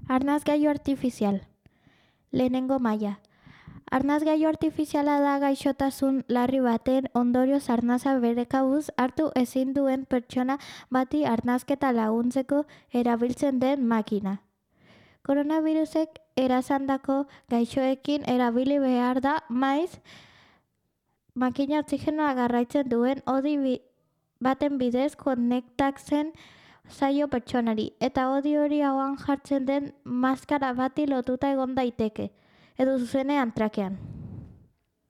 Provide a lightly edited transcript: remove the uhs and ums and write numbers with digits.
Arnasgailu artifizial. Lehenengo maila. Arnasgailu artifiziala da gaixotasun larri baten ondorioz arnasa bere kabuz hartu ezin duen pertsona bati arnasketa laguntzeko erabiltzen den makina. Koronavirusek erasandako gaixoekin erabili behar da, maiz makina oxigenoa garraitzen duen hodi baten bidez konektatzen zaio pertsonari, eta hodi hori hauan jartzen den maskara bati lotuta egon daiteke, edo zuzenean trakean.